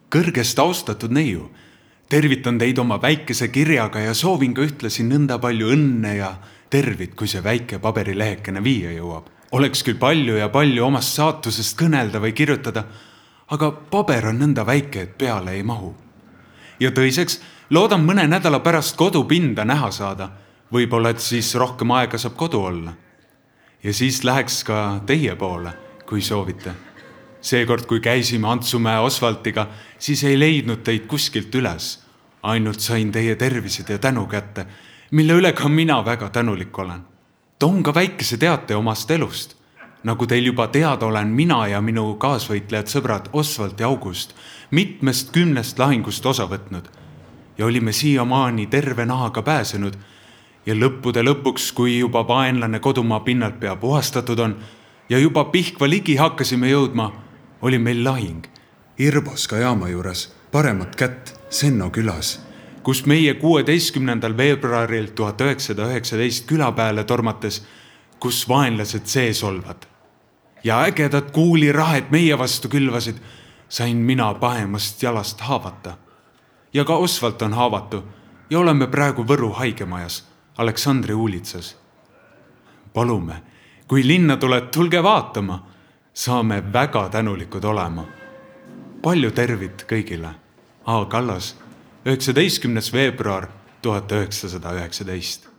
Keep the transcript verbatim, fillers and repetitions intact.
Kõrgest austatud neiu, tervitan teid oma väikese kirjaga ja soovin ka ühtlasi nõnda palju õnne ja tervit, kui see väike paberilehekene viia jõuab. Oleks küll palju ja palju omast saatusest kõnelda või kirjutada, aga paber on nõnda väike, et peale ei mahu. Ja tõiseks, loodan mõne nädala pärast kodupinda näha saada. Võib-olla, et siis rohkem aega saab kodu olla. Ja siis läheks ka teie poole, kui soovite. Seekord, kui käisime Antsumäe Osvaltiga, siis ei leidnud teid kuskilt üles. Ainult sain teie tervised ja tänu kätte, mille üle ka mina väga tänulik olen. Toon ka väikese teate omast elust. Nagu teil juba teada olen mina ja minu kaasvõitlejad sõbrad Osvalt ja August mitmest kümnest lahingust osa võtnud ja olime siiamaani terve nahaga pääsenud ja lõppude lõpuks, kui juba vaenlane kodumaa pinnalt pea puhastatud on ja juba Pihkva ligi hakkasime jõudma, oli meil lahing Irboska jaama juures paremat kätt Senno külas, kus meie kuueteistkümnendal veebruaril tuhat üheksasada üheksateist külapeale tormates, kus vaenlased sees olvad. Ja ägedad kuulirahed meie vastu külvasid, sain mina pahemast jalast haavata. Ja ka Osvalt on haavatu ja oleme praegu Võru haigemajas, Aleksandri uulitsas. Palume, kui linna tuled, tulge vaatama, saame väga tänulikud olema. Palju tervit kõigile. A. Kallas, üheksateistkümnes veebruar tuhat üheksasada üheksateist.